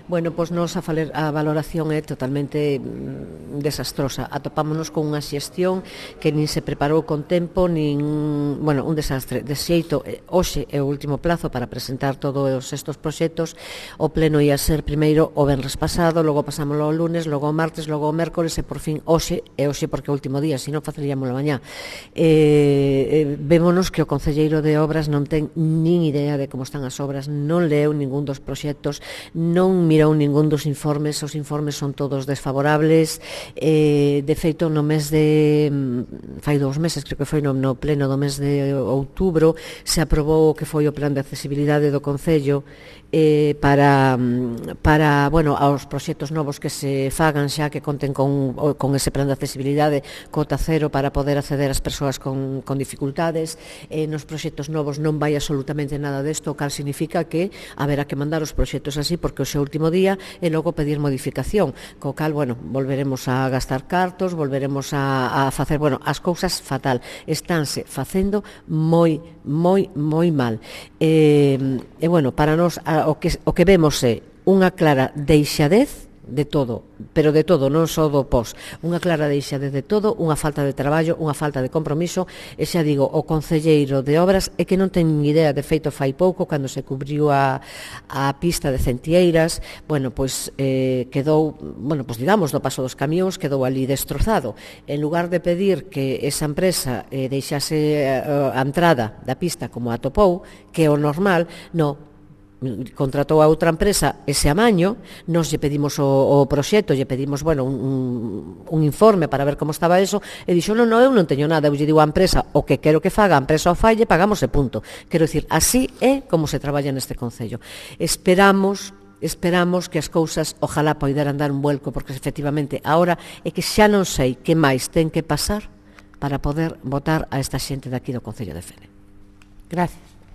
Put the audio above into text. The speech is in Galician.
Bueno, pois nos a valoración é totalmente desastrosa. Atopámonos con unha xestión que nin se preparou con tempo, nin, bueno, un desastre. De xeito, hoxe é o último plazo para presentar todos estes proxectos. O pleno ia ser primeiro o venres pasado, logo pasámoslo ao lunes, logo ao martes, logo ao mércores e por fin hoxe, e hoxe porque é o último día, senón faceríamoslo mañá. Vémonos que o concelleiro de Obras non ten nin idea de como están as obras, non leu ningún dos proxectos, non mirou ningún dos informes, os informes son todos desfavorables. De feito, no mes de fai 2 meses, creo que foi no pleno do mes de outubro, se aprobou o que foi o plan de accesibilidade do Concello para bueno, aos proxectos novos que se fagan xa, que conten con ese plan de accesibilidade cota cero para poder acceder ás persoas con dificultades. Nos proxectos novos non vai absolutamente nada desto, o cal significa que haberá que mandar os proxectos así porque o seu último día e logo pedir modificación, co cal, bueno, volveremos a gastar cartos, volveremos a facer, bueno, as cousas fatal, estánse facendo moi mal. Bueno, para nós o que vemos é unha clara deixadez de todo, pero de todo, non só do pos, unha clara deixadez de todo, unha falta de traballo, unha falta de compromiso, e xa digo, o concelleiro de Obras é que non ten idea. De feito, fai pouco, cando se cubriu a pista de Centieiras, bueno, pois quedou, bueno, pois digamos, do paso dos camións, quedou ali destrozado. En lugar de pedir que esa empresa deixase a entrada da pista como atopou, que é o normal, non, contratou a outra empresa ese amaño. Nos lle pedimos o proxecto, lle pedimos, bueno, un informe para ver como estaba eso, e dixo, non, eu non teño nada, eu lle digo á empresa o que quero que faga, a empresa o falle, pagamos e punto. Quero dicir, así é como se traballa neste Concello. Esperamos que as cousas ojalá poideran dar un vuelco, porque efectivamente agora é que xa non sei que máis ten que pasar para poder votar a esta xente de aquí do Concello de Fene. Gracias.